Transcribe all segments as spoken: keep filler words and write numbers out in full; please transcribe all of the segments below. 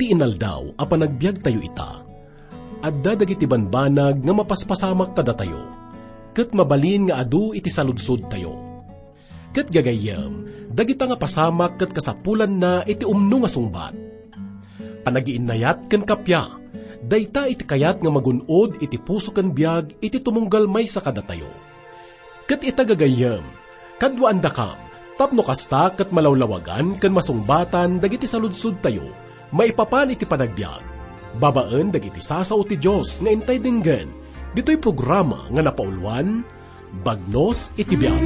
Inaldaw a panagbiagtayo ita, adda dagiti banbanag nga mapaspasamak kadatayo, ket mabalin nga adu iti saludsodtayo. Ket gagayyem, dagita nga pasamak ket kasapulanna iti umno nga sungbat. Panagiinnayat ken kappia, dayta iti kayat nga magun-od iti puso ken biag iti tumunggal maysa kadatayo. Ket ita gagayyem, kaduaandakam, tapno kasta ket malawlawagan ken masungbatan dagiti saludsodtayo maipapan iti panagbiag, babaen dagiti sasao ti Dios nga intay denggen, ditoy programa nga napauluan, Bagnos iti Biag.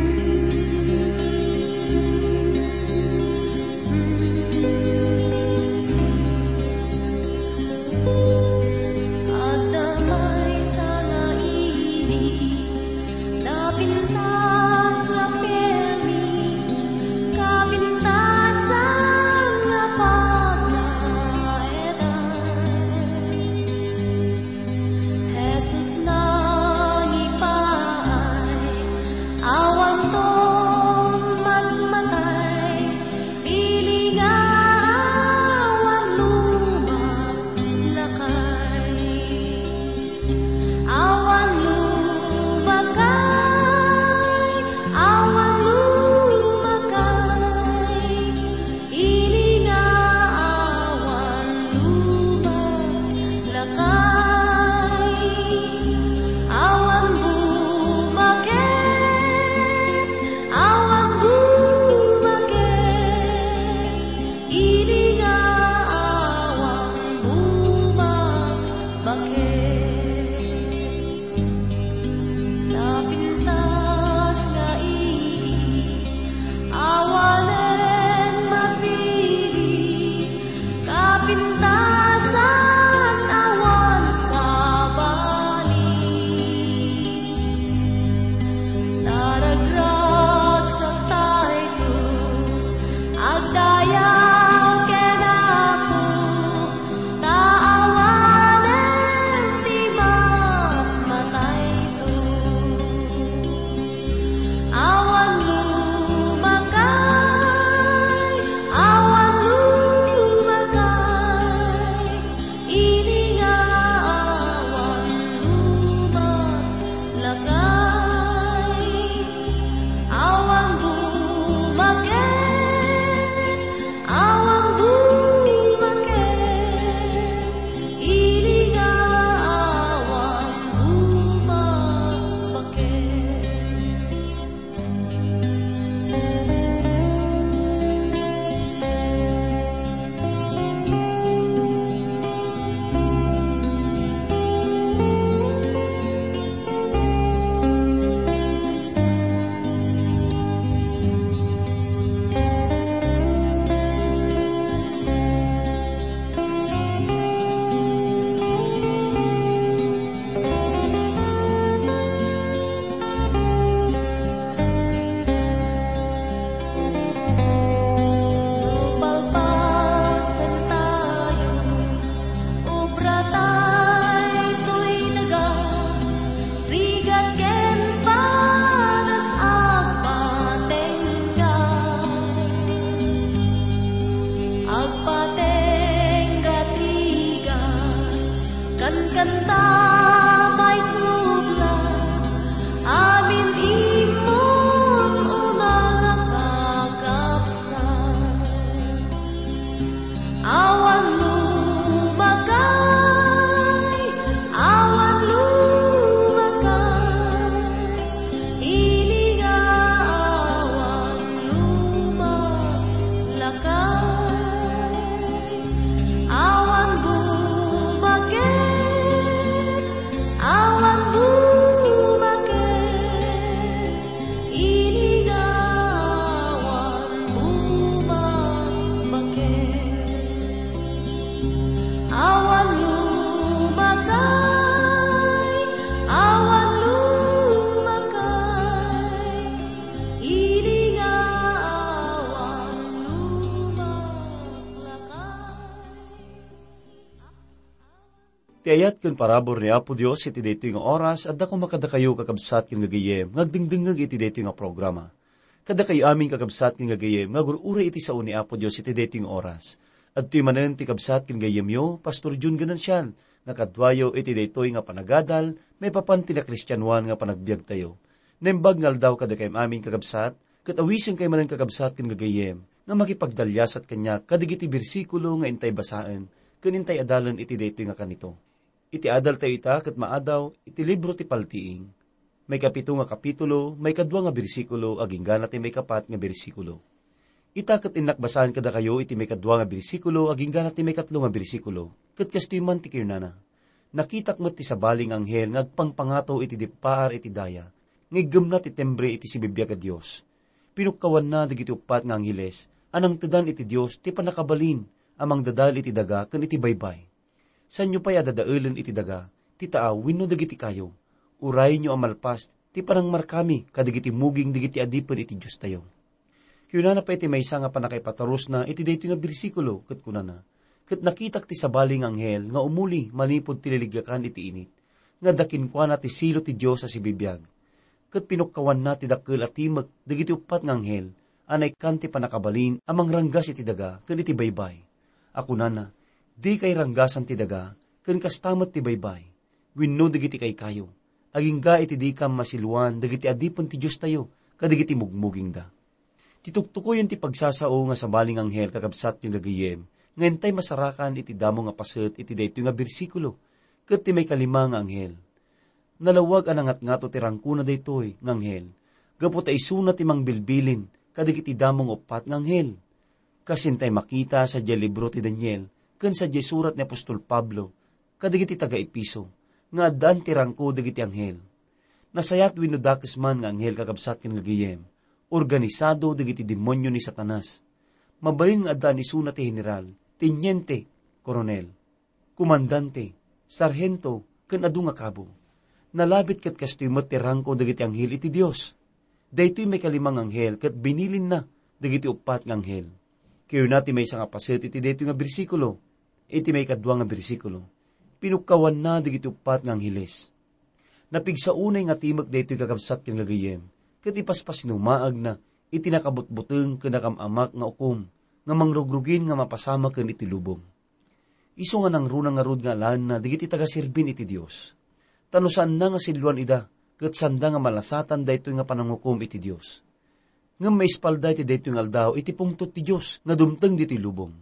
Adda maysa nga ili, napintas nga permi, kapintasan nga pagnaetan. Jesus nangipaay, awanton matmatay, ili nga awan lumak lakay. Awan lumakay, awan lumakay, ili nga awan lumakay. Awan bumaket, awan bumaket, ili nga awan bumaket. Napintas nga ili, awanen mapili, kapintasan awan sabali. Naragragsak daytoy, agdayaw ken Apo, ta awanen ti matmatayto. Awan lumakay, awan lumakay, ini nga awan lumakay. Awan bumaket, awan bumaket, ili nga awan bumaket. Palpalpasen tayo, obra tayo toy daga, rigat ken padas agpatengga. Agpatengga ti rigat, kankanta maisubla, amin immon una nga kakabsat. Awan lumakay, awan lumakay, ini nga awan lumakay. Awan bumaket, awan bumaket, ini nga awan bumaket. Awan lumakay, awan lumakay, ini nga awan lumakay. Ti ayat ken parabur ni Apo Dios iti daytoy nga oras, adda koma kadakayo, kakabsat ken gagayyem, nga agdengdengngeg iti daytoy nga programa. Kadakayo amin, kakabsat ken gagayyem, nga agur-uray iti sao ni Apo Dios iti daytoy nga oras. Adtoy manen ti kabsat ken gayyemyo, Pastor Jun Ganancial, nga kaduayo iti daytoy nga panagadal maipapan ti nakristianoan nga panagbiagtayo. Naimbag nga aldaw kadakayo amin, kakabsat, ket awisenkayo manen, kakabsat ken gagayyem, nga makipagdaliasat kaniak kadagiti bersikulo nga intay basaen ken intay adalen iti daytoy nga kanito. Iti adaltayo ita ket maadaw iti libro ti Paltiing, maikapito nga kapitulo, maikadua nga bersikulo, agingga na ti maikapat nga bersikulo. Ita ket innak basaen kadakayo iti maikadua nga bersikulo, agingga na ti maikatlo nga bersikulo, ket kastoy man ti kinunana: Nakitak met ti sabali nga anghel nga agpangpangato iti dippaar iti daya, nga iggemna ti timbre iti sibibiag a Dios. Pinukkawanna dagiti uppat nga angheles a nangtedan iti Dios ti pannakabalin a mangdadael iti daga ken iti baybay. Saanyo pay a dadaelen iti daga ti taaw wenno dagiti kayo. Urayenyo a malpas ti panangmarkami kadagiti muging dagiti adipen iti Diostayo. Kinunana pay ti maysa nga pannakaipatarusna iti daytoy nga bersikulo, ket kunana: Ket nakitak ti sabali nga anghel nga umuli manipud ti liliggakan iti init, nga adda kenkuana ti silo ti Dios a sibibiag. Ket pinukkawanna ti dakkel a timek dagiti uppat nga anghel a naikkan ti pannakabalin a mangranggas iti daga ken iti baybay, a kunana: Dikay ranggasan ti daga, ken kasta met ti baybay, wenno dagiti kaykayo, agingga iti dikam masiluan dagiti adipen ti Diostayo kadagiti mugmugingda. Ti tuktukoyen ti pagsasao nga sabali nga anghel, kakabsat ken gagayyem, nga intay masarakan iti damo nga paset iti daytoy nga bersikulo, ket ti maikalima nga anghel. Nalawag a nangatngato ti rangkona daytoy nga anghel, gapu ta isuna ti mangbilbilin kadagiti damo nga uppat nga anghel. Kas intay makita sadiay libro ti Daniel ken sadiay surat ni apostol Pablo kadagiti taga-Efeso, nga addaan ti rangko dagiti anghel. Nasayaat wenno dakes man nga anghel, kakabsat ken gagayyem, organisado dagiti demonio ni Satanas. Mabalin nga addaan isuna ti heneral, teniente, koronel, komandante, sarhento, ken adu nga kabo. Nalabit ket kastoy met ti rangko dagiti anghel iti Dios. Daytoy maikalima nga anghel ket binilinna dagiti uppat nga anghel. Kinuna ti maysa nga paset iti daytoy nga bersikulo, iti maikadua nga bersikulo: Pinukkawanna dagiti uppat nga angheles. Napigsa unay nga timek daytoy, kakabsat ken gagayyem, ket ipaspasinumagna iti nakabutbuteng ken nakam-amak nga ukom nga mangrugrugin nga mapasamak ken iti lubong. Isu nga nangruna ngarud nga alaenna dagiti tagaserbin iti Dios. Ta no saanna nga silluan ida, ket saanda nga malasatan daytoy nga panangukom iti Dios. Ngem maispalda iti daytoy nga aldaw iti pungtot ti Dios nga dumteng ditoy lubong.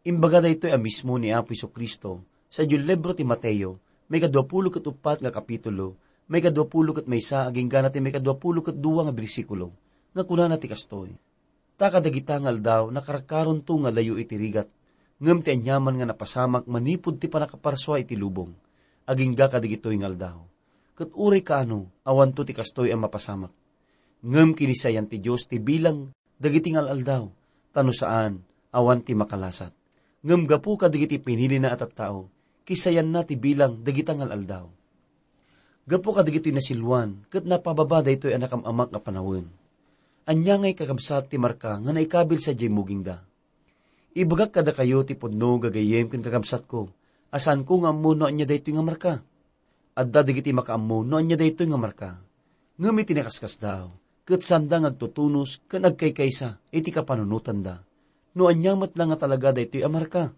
Imbaga daytoy a mismo ni Apo Jesu-Cristo sadiay libro ti Mateo, maikadua pulo ket uppat nga kapitulo, maikadua pulo ket maysa agingga na ti maikadua pulo ket dua nga bersikulo, nga kunana ti kastoy: Ta kadagita nga aldaw, nakarkaronto nga layo iti rigat, ngem ti aniaman nga napasamak manipud ti pannakaparsua iti lubong, agingga kadagitoy nga aldaw. Ket uray kaano, awanto ti kastoy a mapasamak. Ngem kinisayan ti Dios ti bilang dagiti nga al-aldaw, ta no saan, awan ti makalasat. Ngem gapu kadagiti pinilina a tattao, kisayanna ti bilang dagita nga al-aldaw. Gapu kadagitoy nasilluan ket napababa daytoy a nakam-amak a panawen. Ania ngay, kakabsat, ti marka nga naikabil sadiay mugingda? Ibagak kadakayo ti pudno, gagayyem ken kakabsatko, a saanko nga ammo no ania daytoy nga marka. Adda dagiti makaammo no ania daytoy nga marka. Ngem iti nakaskasdaaw, ket saanda nga agtutunos ken agkaykaysa iti kapanunotanda no ania met la nga talaga daytoy a marka.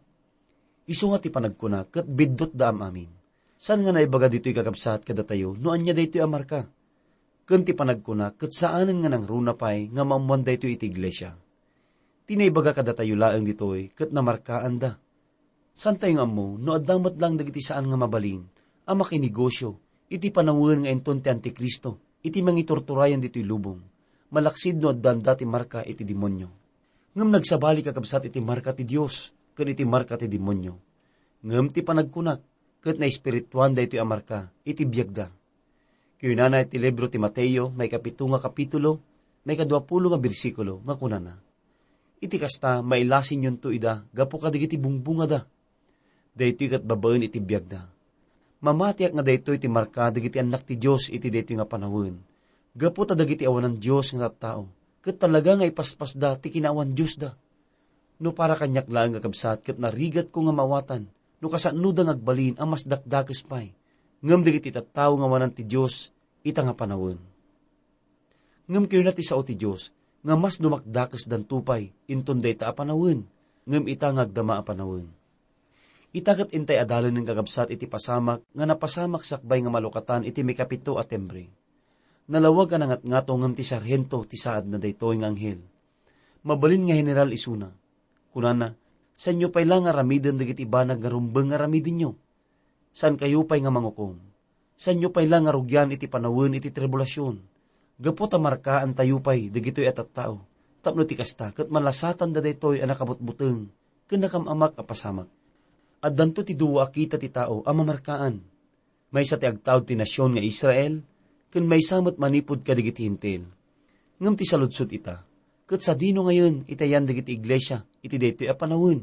Isu nga ti panagkuna ket biddutda am-amin. Saan nga naibaga ditoy, kakabsat, kadatayo no ania daytoy a marka. Ken ti panagkuna ket saanen nga nangruna pay nga maammoan daytoy iti iglesia. Ti naibaga kadatayo laeng ditoy ket namarkaanda. Saantayo nga ammo no adda met laeng dagiti saan nga mabalin a makinegosio iti panawen nga inton ti Antikristo iti mangiturturayan ditoy lubong, malaksid no addaanda ti marka iti demonio. Ngem nagsabali, kakabsat, iti marka ti Dios ken iti marka ti demonio. Ngem ti panagkunak ket naespirituan daytoy a marka iti biagda. Kinunana iti libro ti Mateo, maikapito nga kapitulo, maikadua pulo nga bersikulo, nga kunana: Iti kasta, mailasinyonto ida gapu kadagiti bungbungada. Daytoy ket babaen iti biagda. Mamatiak nga daytoy ti marka dagiti annak ti Dios iti daytoy nga panawen, gapu ta dagiti awanan Dios nga tattao, ket talaga nga ipaspasda ti kinaawan Diosda. No para kaniak laeng, kakabsat, ket narigatko nga maawatan no kasaanoda nga agbalin a mas dakdakes pay, ngem dagiti tattao nga awanan ti Dios ita nga panawen. Ngem kinuna ti sao ti Dios nga mas dumakdakesdanto pay inton dayta a panawen, ngem ita nga agdama a panawen. Ita ket intay adalanen, kakabsat, iti pasamak nga napasamak sakbay nga malukatan iti maikapito a timbre. Nalawag a nangatngato ngem ti sarhento ti saadna daytoy nga anghel. Mabalin nga general isuna. Kunana, "Saanyo pay la nga aramiden dagiti banag nga rumbeng nga aramidenyo? Saankayo pay nga mangukom? Saanyo pay la nga rugian iti panawen iti tribulasion? Gapu ta markaantayo pay dagitoy a tattao, tapno ti kasta ket malasatanda daytoy a nakabutbuteng ken nakam-amak a pasamak." Addanto ti dua a kita ti tao a mamarkaan. Maysa ti agtaud ti nasion nga Israel, ken maysa met manipud kadagiti Hentil. Ngem ti saludsod ita, ket sadino ngayen itayan dagiti iglesia iti daytoy a panawen?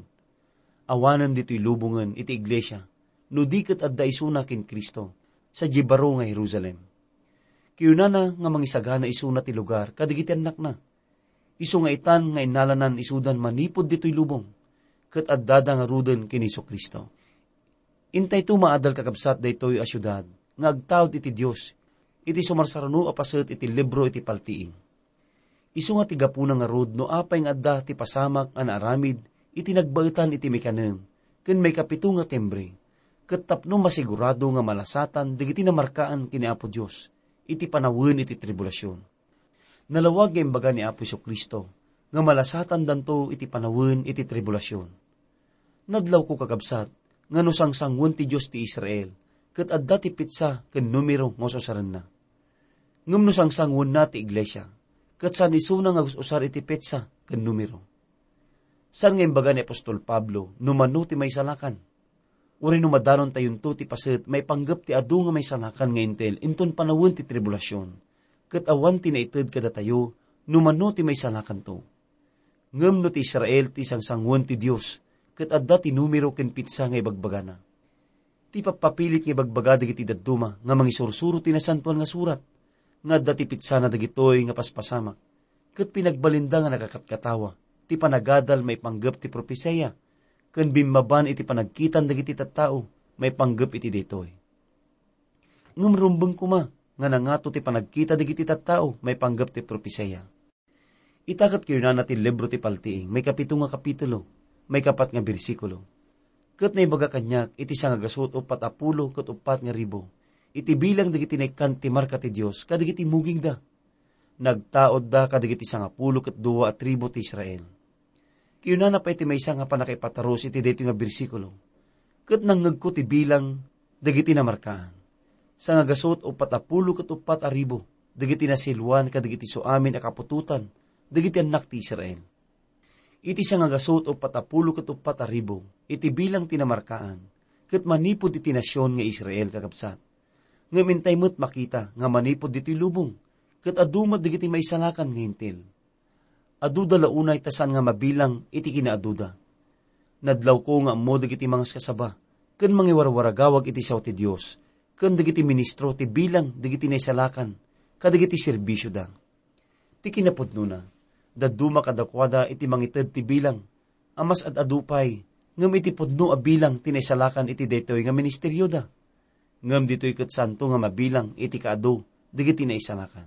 Awanen ditoy lubongen iti iglesia, no di ket adda isuna ken Cristo, sadiay baro nga Jerusalem. Kayunana nga mangisagana isuna ti lugar kadagiti annakna. Isu nga itan nga innalanan isudan manipud ditoy lubong, ket addada ngaruden ken Jesu-Cristo. Intayto maadal, kakabsat, daytoy a siudad nga agtaud iti Dios iti sumarsaruno a paset iti libro iti paltiing. Isu nga ti gapuna ngarud no apay nga adda ti pasamak a naaramid iti nagbaetan iti maikanem ken maikapito nga timbre, ket tapno masigurado nga malasatan dagiti namarkaan ken ni Apo Dios iti panawen iti tribulasion. Nalawag nga imbaga ni Apo Jesu-Cristo nga malasatandanto iti panawen iti tribulasion. Nadlawko, kakabsat, nga no sangsangoen ti Dios ti Israel, ket adda ti petsa ken numero nga ususarenna. Ngem no sangsangoenna ti iglesia, ket saan isuna nga us-usar iti petsa ken numero. Saan nga imbaga ni apostol Pablo no mano ti maisalakan? Uray no madanontayonto ti paset maipanggep ti adu nga maisalakan nga Hentil inton panawen ti tribulasion, ket awan ti naited kadatayo no mano ti maisalakanto. Ngem no ti Israel ti sangsangoen ti Dios, ket adda ti numero ken petsa nga ibagbagana. Ti pappapilit nga ibagbaga dagiti dadduma nga mangisursuro ti Nasantoan nga Surat, nga adda ti petsana dagitoy nga paspasamak, ket pinagbalinda nga nakakatkatawa ti panagadal maipanggep ti propesia, ken bimmaban iti panagkitan dagiti tattao maipanggep iti daytoy. Ngem rumbeng koma nga nangato ti panagkita dagiti tattao maipanggep ti propesia. Ita ket kayunana ti libro ti Paltiing, maikapito nga kapitulo, maikapat nga bersikulo. Ket naibaga kaniak iti sangagasut uppat a pulo ket uppat nga ribu, iti bilang dagiti naikkan ti marka ti Dios kadagiti mugingda. Nagtaudda kadagiti sangapulo ket dua a tribu ti Israel. Kayunana pay ti maysa nga pannakaipatarus iti daytoy nga bersikulo, "Ket nangngegko ti bilang dagiti namarkaan. Sangagasut uppat a pulo ket uppat a ribu dagiti nasiluan kadagiti suamin a kaputotan dagiti annak ti Israel." Iti sangagasut uppat a pulo ket uppat a ribu iti bilang ti namarkaan, ket manipud iti nasion nga Israel, kakabsat. Ngem intay met makita nga manipud ditoy lubong, ket adu met dagiti maisalakan nga Hentil. Aduda la unay ta saan nga mabilang iti kinaaduda. Nadlawko nga ammo dagiti mangaskasaba ken mangiwarwaragawag iti sao ti Dios ken dagiti ministro ti bilang dagiti naisalakan kadagiti serbisioda. Ti kinapudnona, dadduma kadakuada iti mangited ti bilang a mas ad-adu pay ngem iti pudno a bilang ti naisalakan iti daytoy nga ministerioda. Ngem ditoy ket saanto nga mabilang iti kaadu dagiti naisalakan.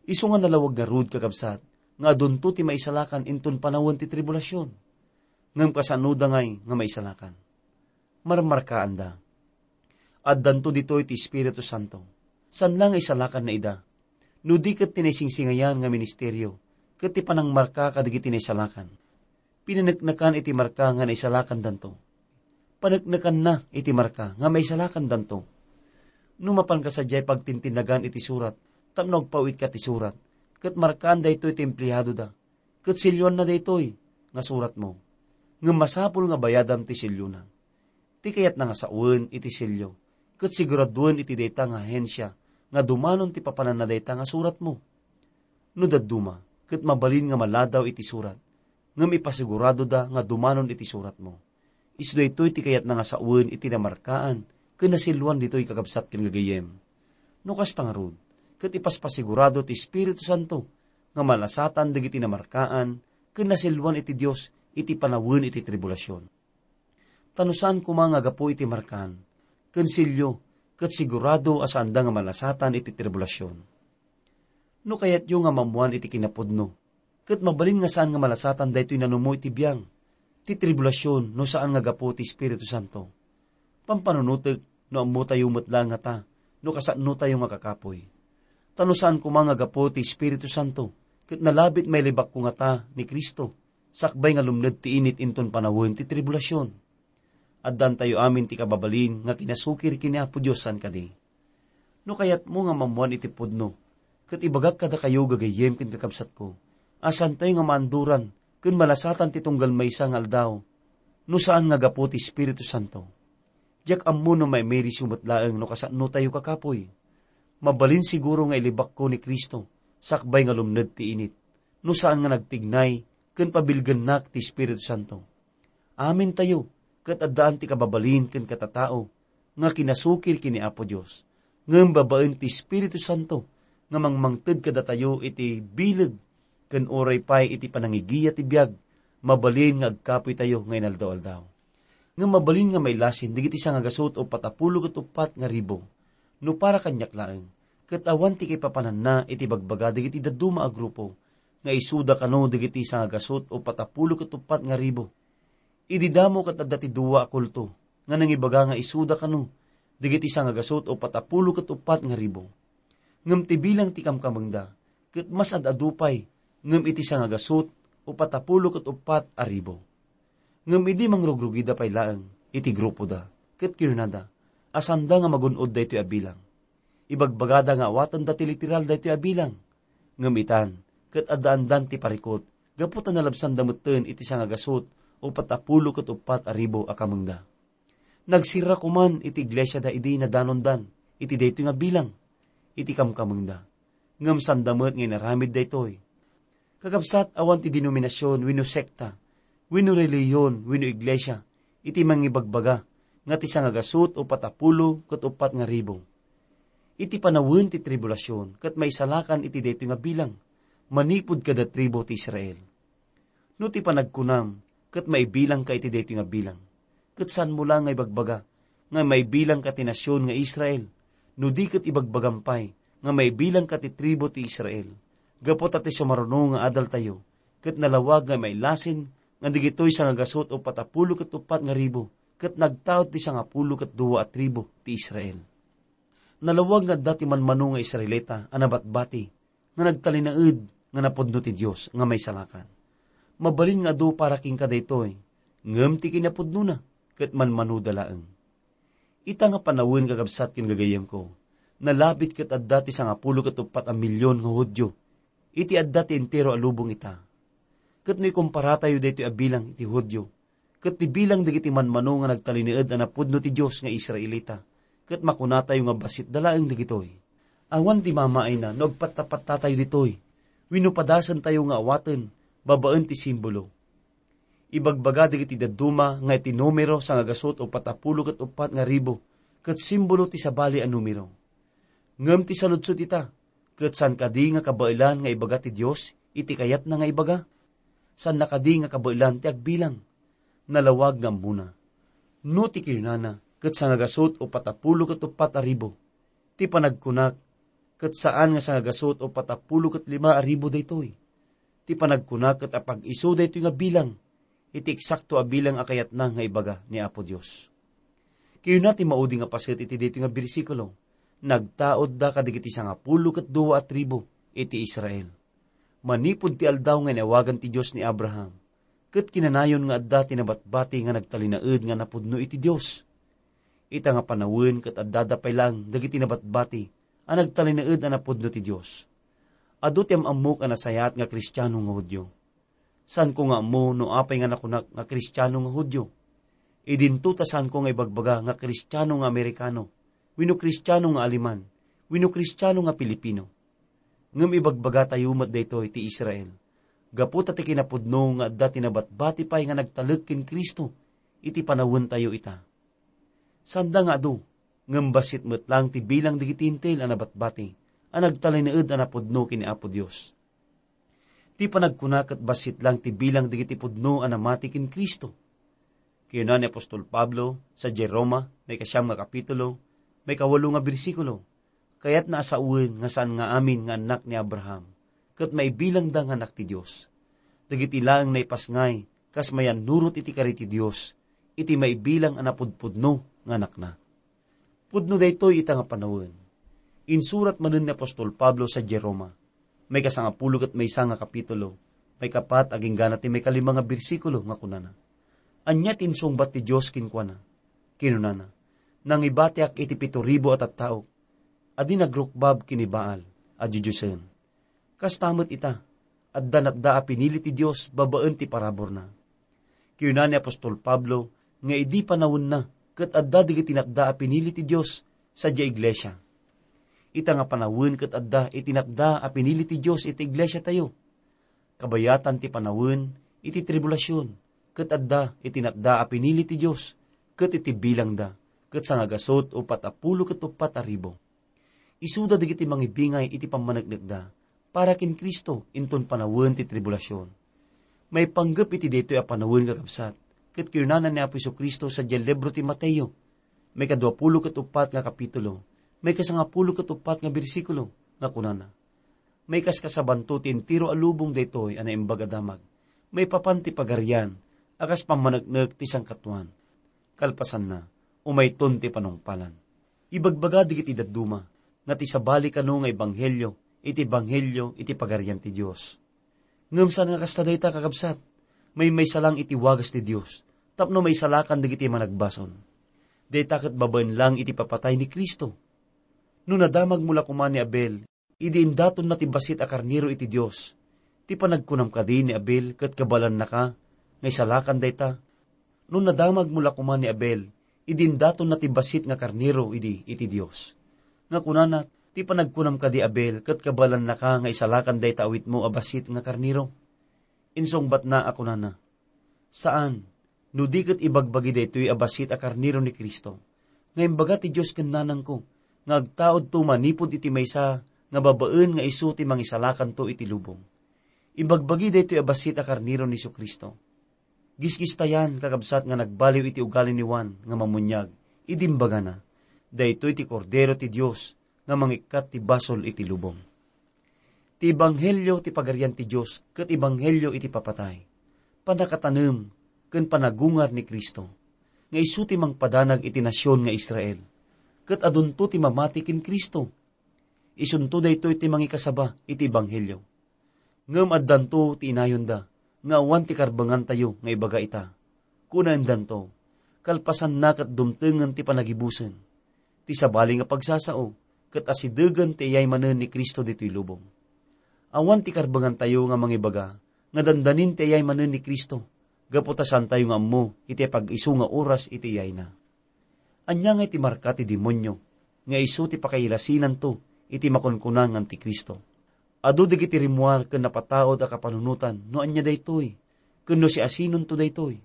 Isu nga nalawag ngarud, kakabsat, nga adunto ti maisalakan inton panawen ti tribulasion. Ngem kasanoda ngay nga maisalakan? Marmarkaanda. Addanto ditoy ti Espiritu Santo. Saan la nga isalakanna ida. No di ket ti naisingsingayan nga ministerio ket ti panangmarka kadagiti naisalakan. Pinaneknekan iti marka nga naisalakandanto. Paneknekanna iti marka nga maisalakandanto. No mapanka sadiay pagtintinnagan iti surat tapno agpawitka ti surat, ket markaan daytoy ti empleadoda, ket selyoanna daytoy nga suratmo. Ngem masapul nga bayadam ti selyona. Ti kayatna nga sawen iti selyo, ket siguraduen iti dayta nga ahensia nga dumanon ti papananna dayta nga suratmo. No dadduma, ket mabalin nga maladaw iti surat, ngem ipasiguradoda nga dumanon iti suratmo. Isu daytoy ti kayatna nga sawen iti namarkaan ken naselyoan ditoy, kakabsat ken gagayyem. No kasta ngarud, ket ipaspasigurado ti Espiritu Santo nga malasatan dagiti namarkaan ken naselyoan iti Dios iti panawen iti tribulasion. Ta no saan koma nga gapu iti markaan ken selyo, ket sigurado a saanda nga malasatan iti tribulasion. No kayatyo nga maammoan iti kinapudno, ket mabalin nga saan nga malasatan daytoy nanumo iti biang, ti tribulasion no saan nga gapu ti Espiritu Santo. Pampanunotek no ammotayo met laeng ngata no kasanotayo nga kakapuy. Ta no saan koma nga gapu ti Espiritu Santo, ket nalabit mailibakko ngata ni Cristo, sakbay nga lumned ti init inton panawen ti tribulasion. Addantayo amin ti kababalin nga kinasukir ken ni Apo Dios saan kadi. No kayatmo nga maammoan iti pudno, ket ibagak kadakayo gagayyem ken kakabsatko, a saantayo nga maanduran ken malasatan ti tunggal maysa nga aldaw, no saan nga gapu ti Espiritu Santo. Diak ammo no maimirisyo met laeng no kasanotayo kakapuy. Mabalin siguro nga ilibakko ni Cristo sakbay nga lumned ti init, no saan nga nagtignay ken pabilgennak ti Espiritu Santo. Amintayo ket addaan ti kababalin ken katatao nga kinasukir ken ni Apo Dios, ngem babaen ti Espiritu Santo nga mangmangted kadatayo iti bileg ken uray pay iti panangigiya ti biag, mabalin nga agkapuy tayo nga inaldaw-aldaw. Ngem mabalin nga mailasin dagiti sangagasut o patapulo ket uppat nga ribu. No para kaniak laeng, ket awan ti kaipapananna iti bagbaga dagiti dadduma a grupo nga isuda kano dagiti sangagasut o patapulo ket uppat nga ribu. Idi damo ket adda ti dua a kulto nga nangibaga nga isuda kano dagiti sangagasut o patapulo ket uppat nga ribu. Ngem ti bilang ti kamkamengda ket mas ad-adu pay ngem iti sangagasut o patapulo ket uppat a ribu. Ngem idi mangrugrugida pay laeng iti grupoda ket kinunada a saanda nga magun-od daytoy a bilang. Ibagbagada nga awatenda ti literal daytoy a bilang. Ngem itan, ket addaandan ti parikut, gapu ta nalabsanda metten iti sangagasut o patapulo ket uppat a ribu a kamengda. Nagsirra koman iti iglesiada idi nadanondan iti daytoy nga bilang iti kamkamengda. Ngem sanda met nga inaramid daytoy. Kakabsat, awan ti denominasion wenno sekta, wenno relihion, wenno iglesia, iti mangibagbaga nga ti sangagasut o patapulo ket uppat nga ribu. Iti panawen ti tribulasion, ket maisalakan iti daytoy nga bilang, manipud kada tribu ti Israel. No ti panagkunam, ket maibilangka iti daytoy nga bilang, ket saanmo la nga ibagbaga nga maibilangka ti nasion nga Israel, no di ket ibagbagam pay nga maibilangka ti tribu ti Israel, gapu ta ti sumaruno nga adaltayo, ket nalawag nga mailasin nga digitoy sangagasut o patapulo ket uppat nga ribu, ket nagtaud ti sangapulo ket dua a tribu ti Israel. Nalawag nga adda ti manmano nga Israelita a nabatbati nga nagtalinaed nga napudno ti Dios nga maisalakan. Mabalin nga adu para kenka daytoy, ngem ti kinapudnona ket manmanoda laeng. Ita nga panawen, kakabsat ken gagayyemko, nalabit ket adda ti sangapulo ket uppat a milion nga Judio iti adda ti entero a lubong ita. Ket no ikomparatayo daytoy a bilang iti Judio ket ti bilang dagiti manmano nga nagtalinaed a napudno ti Dios nga Israelita, ket makunatayo nga bassitda laeng dagitoy. Awan ti mamaayna no agpattapattatayo ditoy wenno padasentayo nga awaten babaen ti simbolo. Ibagbaga dagiti dadduma nga iti numero sangagasut o patapulo ket uppat nga ribu ket simbolo ti sabali a numero. Ngem ti saludsod ita, ket saan kadi nga kabaelan nga ibaga ti Dios iti kayatna nga ibaga? Saanna kadi nga kabaelan ti agbilang? Nalawag nga ammona. No ti kinunana ket sangagasut o patapulo ket uppat a ribu, ti panagkunak ket saan nga sangagasut o patapulo ket lima a ribu daytoy. Ti panagkunak ket apag-isu daytoy nga bilang iti eksakto a bilang a kayatna nga ibaga ni Apo Dios. Kinuna ti maudi nga paset iti daytoy nga bersikulo, "Nagtaudda kadagiti sangapulo ket dua a tribu iti Israel." Manipud ti aldaw nga inawagan ti Dios ni Abraham, ket kinanayon nga adda ti nabatbati nga nagtalinaed nga napudno iti Dios. Ita nga panawen ket addada pay laeng dagiti nabatbati a nagtalinaed a napudno ti Dios. Adu ti am-ammok a nasayaat nga Kristiano nga Judio. Saanko nga ammo no apay nga nakunak nga Kristiano nga Judio. Idinto ta saanko nga ibagbaga nga Kristiano nga Amerikano, wenno Kristiano nga Aleman, wenno Kristiano nga Pilipino. Ngem ibagbagatayo met daytoy ti Israel, gapu ta ti kinapudno nga adda ti nabatbati pay nga nagtalek ken Cristo iti panawentayo ita. Sanda nga adu, ngem bassit met laeng ti bilang dagiti Hentil a nabatbati a nagtalinaed a napudno ken ni Apo Dios. Ti panagkuna ket bassit laeng ti bilang dagiti pudno a namati ken Cristo. Kinuna ni apostol Pablo sadiay Roma, maikasiam nga kapitulo, maikawalo nga bersikulo, "Kayatna a sawen nga saan nga amin nga annak ni Abraham, ket maibilangda nga annak ti Dios." Dagiti laeng naipasngay kas mayannurot iti kari ti Dios iti maibilang a napudpudno nga anakna. Pudno daytoy ita nga panawen. Insurat manen ni apostol Pablo sadiay Roma, maikasangapulo ket maysa nga kapitulo, maikapat agingga ti maikalima nga bersikulo nga kunana, "Ania ti insungbat ti Dios kenkuana?" Kinunana, "Nangibatiak iti pito ribu a tattaok a di nagrukbab ken ni Baal a didiosen." Kasta met ita, adda napda a pinili ti Dios babaen ti paraburna. Kinuna ni apostol Pablo nga idi panawenna ket adda dagiti napda a pinili ti Dios sadiay iglesia. Ita nga panawen ket adda iti napda a pinili ti Dios iti iglesiatayo. Kabayatan ti panawen iti tribulasion ket adda iti napda a pinili ti Dios ket iti bilangda ket sangagasut uppat a pulo ket uppat a ribu. Isuda dagiti mangibingay iti pammaneknekda para ken Cristo inton panawen ti tribulasion. Maipanggep iti daytoy a panawen, kakabsat, ket kinunana ni Apo Jesu-Cristo sadiay libro ti Mateo, maikadua pulo ket uppat nga kapitulo, maikasangapulo ket uppat nga bersikulo, nga kunana, "Maikaskasabanto ti entero a lubong daytoy a naimbag a damag, maipapan ti pagarian a kas pammaneknek ti sangkatuan. Kalpasanna, umayton ti panungpalan." Ibagbaga dagiti dadduma nga ti sabali kano nga ebanghelio iti ebanghelio iti Pagarian ti Dios. Ngem saan nga kasta dayta, kakabsat. Maymaysa lang iti wagas ti Dios tapno maisalakan dagiti managbasol. Dayta ket babaen lang iti papatay ni Cristo. No nadamagmo la koma ni Abel, idi indatonna ti bassit a karnero iti Dios, ti panagkunam kadi ni Abel ket kabaelannaka nga isalakan dayta? No nadamagmo la koma ni Abel, idi indatonna ti bassit nga karnero idi iti Dios, nga kunana, "Ti panagkunam kadi, Abel, ket kabaelannaka nga isalakan dayta awitmo a bassit nga karnero?" Insungbatna a kunana, "Saan, no di ket ibagbagi daytoy a bassit a karnero ni Cristo, nga imbaga ti Dios ken nanangko, nga agtaudto manipud iti maysa nga babaen nga isu ti mangisalakanto iti lubong. Ibagbagi daytoy a bassit a karnero ni Jesu-Cristo." Gisgistayan, kakabsat, nga nagbaliw iti ugali ni Juan nga Mammuniag idi imbagana, "Daytoy ti Kordero ti Dios nga mangikkat ti basol iti lubong." Ti ebanghelio ti Pagarian ti Dios ket ebanghelio iti papatay, pannakatanem ken panagungar ni Cristo, nga isu ti mangpadanag iti nasion nga Israel, ket adunto ti mamati ken Cristo. Isunto daytoy ti mangikasaba iti ebanghelio. Ngem addanto ti inayonda nga awan ti karbengantayo nga ibaga ita. Kunaendanto, kalpasanna ket dumtengen ti panagibusen. Ti sabali nga pagsasao ket asidegen ti iyay manen ni Cristo ditoy lubong. Awan ti karbengantayo nga mangibaga nga dandanin ti iyay manen ni Cristo, gapu ta saantayo nga ammo iti pag-isu nga oras iti iyayna. Ania ngay ti marka ti demonio nga isu ti pakailasinanto iti makunkuna nga antikristo? Adu dagiti rimmuar ken napataud a kapanunotan no ania daytoy, ken no siasinonto daytoy.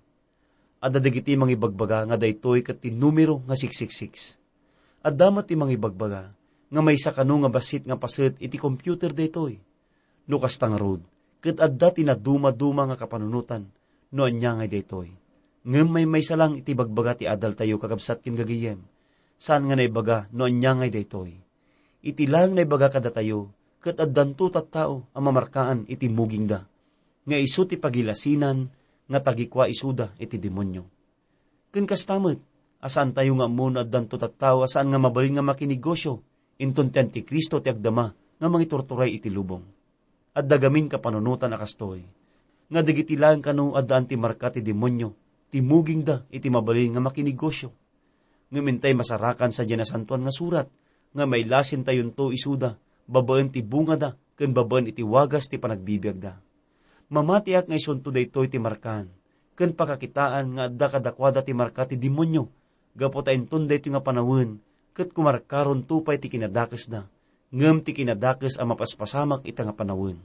Adda dagiti mangibagbaga nga daytoy ket ti numero nga six six six. Adda met ti mangibagbaga nga maysa kano nga bassit nga paset iti computer daytoy. No kasta ngarud, ket adda ti nadumaduma nga kapanunotan no ania ngay daytoy. Ngem maymaysa lang iti bagbaga ti adaltayo, kakabsat ken gagayem. Saan nga naibaga no ania ngay daytoy. Iti laeng naibaga kadatayo, ket addanto tattao a mamarkaan iti mugingda, nga isu ti pagilasinan nga tagikua isuda iti demonio. Ken kasta met, a saantayo nga ammo no addanto tattao a saan nga mabalin nga makinegosyo inton ti Antikristo ti agdama nga mangiturturay iti lubong. Adda gamin kapanunotan a kastoy, nga dagiti laeng kano addaan ti marka ti demonio ti mugingda iti mabalin nga makinegosyo. Ngem intay masarakan sadiay Nasantoan nga Surat nga mailasintayonto isuda babaen ti bungada ken babaen iti wagas ti panagbibiagda. Mamatiak nga isunto daytoy ti markaan ken pakakitaan nga adda kadakuada ti marka ti demonio, gapu ta inton daytoy nga panawen ket kumarkaronto pay ti kinadakesda, ngem ti kinadakes a mapaspasamak ita nga panawen.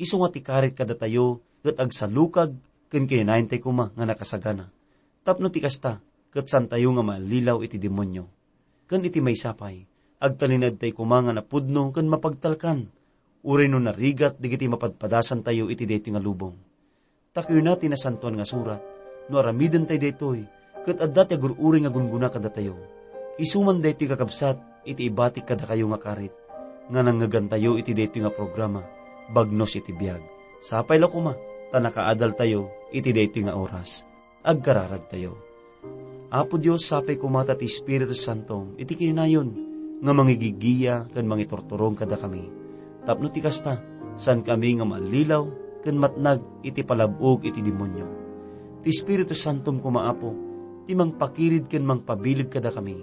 Isu nga ti karit kadatayo ket agsalukag ken kinanayantay koma nga nakasagana. Tapno ti kasta, ket saantayo nga maallilaw iti demonio. Ken iti maysa pay, agtalinaedtay koma nga napudno ken mapagtalkan, uray no narigat dagiti mapadpadasantayo iti daytoy nga lubong. Ta kuna ti Nasantoan nga Surat, no aramidentay daytoy, ket adda ti agur-uray nga gungguna kadatayo. Isu man daytoy, kakabsat, iti ibatik kadakayo nga karit, nga nangngegantayo iti daytoy nga programa, Bagnos iti Biag. Sapay la koma, ta nakaadaltayo iti daytoy nga oras. Agkararagtayo. Apo Dios, sapay koma ta ti Espiritu Santo iti kinanayon nga mangigigiya ken mangiturturong kadakami. Tapno ti kasta, saankami nga mallilaw ken matnag iti palab-og iti demonio. Ti Espiritu Santom koma, Apo, ti mangpakirid ken mangpabileg kadakami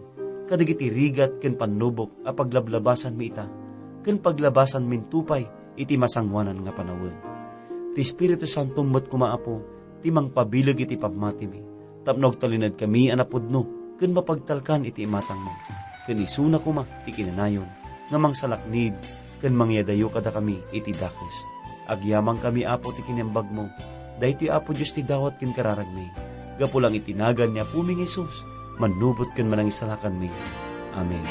kadagiti rigat ken pannubok a paglablabasanmi ita, ken paglabasanmin to pay iti masangoanan nga panawen. Ti Espiritu Santom met koma, Apo, ti mangpabileg iti pammatimi, tapno agtalinaedkami a napudno ken mapagtalkan iti imatangmo, ken isuna koma ti kinanayon nga mangsalaknib ken mangyadayo kadakami iti dakes. Agyamankami, Apo, ti kinembagmo. Daytoy, Apo Dios, ti dawat ken kararagmi. Gapu lang iti nagan ni Apomi nga Jesus, mannubot ken manangisalakanmi. Amen.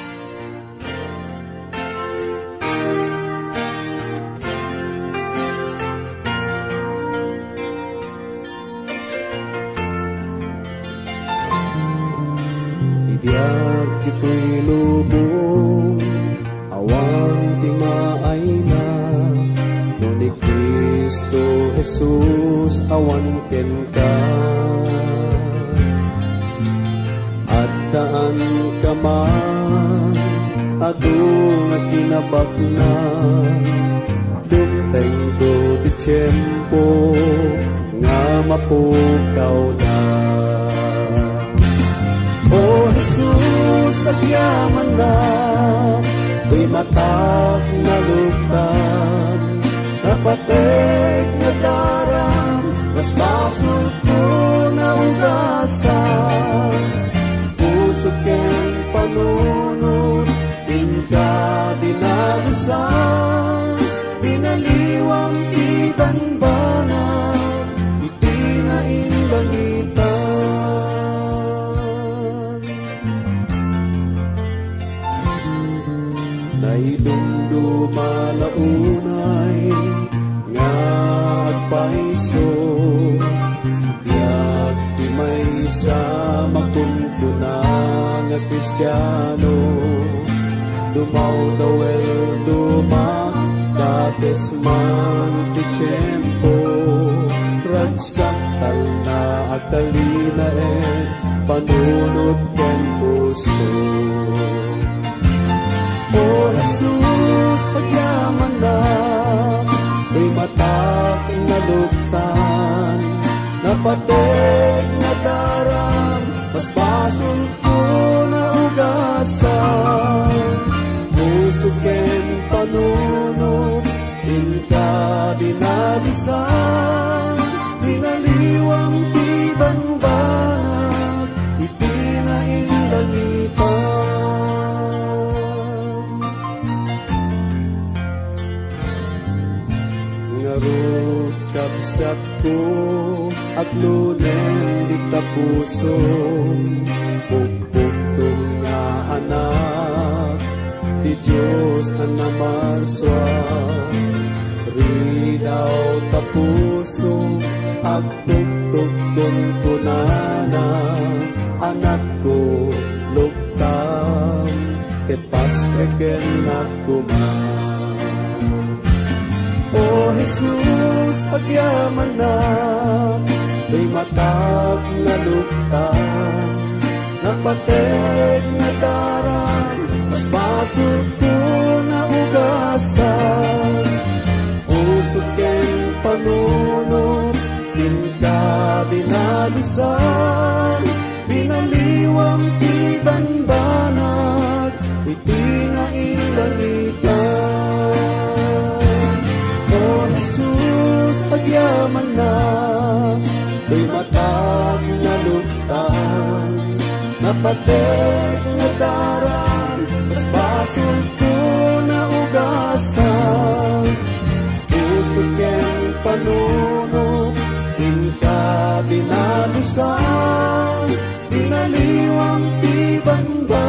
Ti biag ditoy lubong, awan ti maayna, no ni Cristo Jesus awan kenka. Addaan ka man, adu nga kinabaknang, dumtengto ti tiempo nga mapukawda. O Jesus, agyamanak, toy matak naluktan, napatek nga daram, mas basolko naugasan. Puso ken panunot, inka dinalusan, binaliwam ti banbanag iti nainlangitan. Naidumduma la unay nga agpayso, biag ti maysa makunkuna nga Kristiano. Dumawdaw el dumadakes man ti tiempo, ragsak talna agtalinaed panunot ken puso. O Jesus, agyamanak, toy matak naluktan, napatek nga daram, mas basolko naugasan. Puso ken panunot, inka dinalusan, binaliwam ti banbanag iti nainlangitan. Ngarud, kabsatko, aglunen dita puso, pukpukto nga anak ti Dios a namarsua. Ridaw ta puso, agtuktukon kunana, anakko, luktam, ket pasrekennak koma. O Jesus, agyamanak, toy matak naluktan, napatek nga daram, mas basolko naugasan. Puso ken panunot, inka dinalusan, binaliwam ti banbanag iti nainlangitan. O Jesus, agyamanak, toy matak naluktan, napatek nga daram, mas basolko naugasan. Puso ken panunot, inka dinalusan, binaliwam ti bamba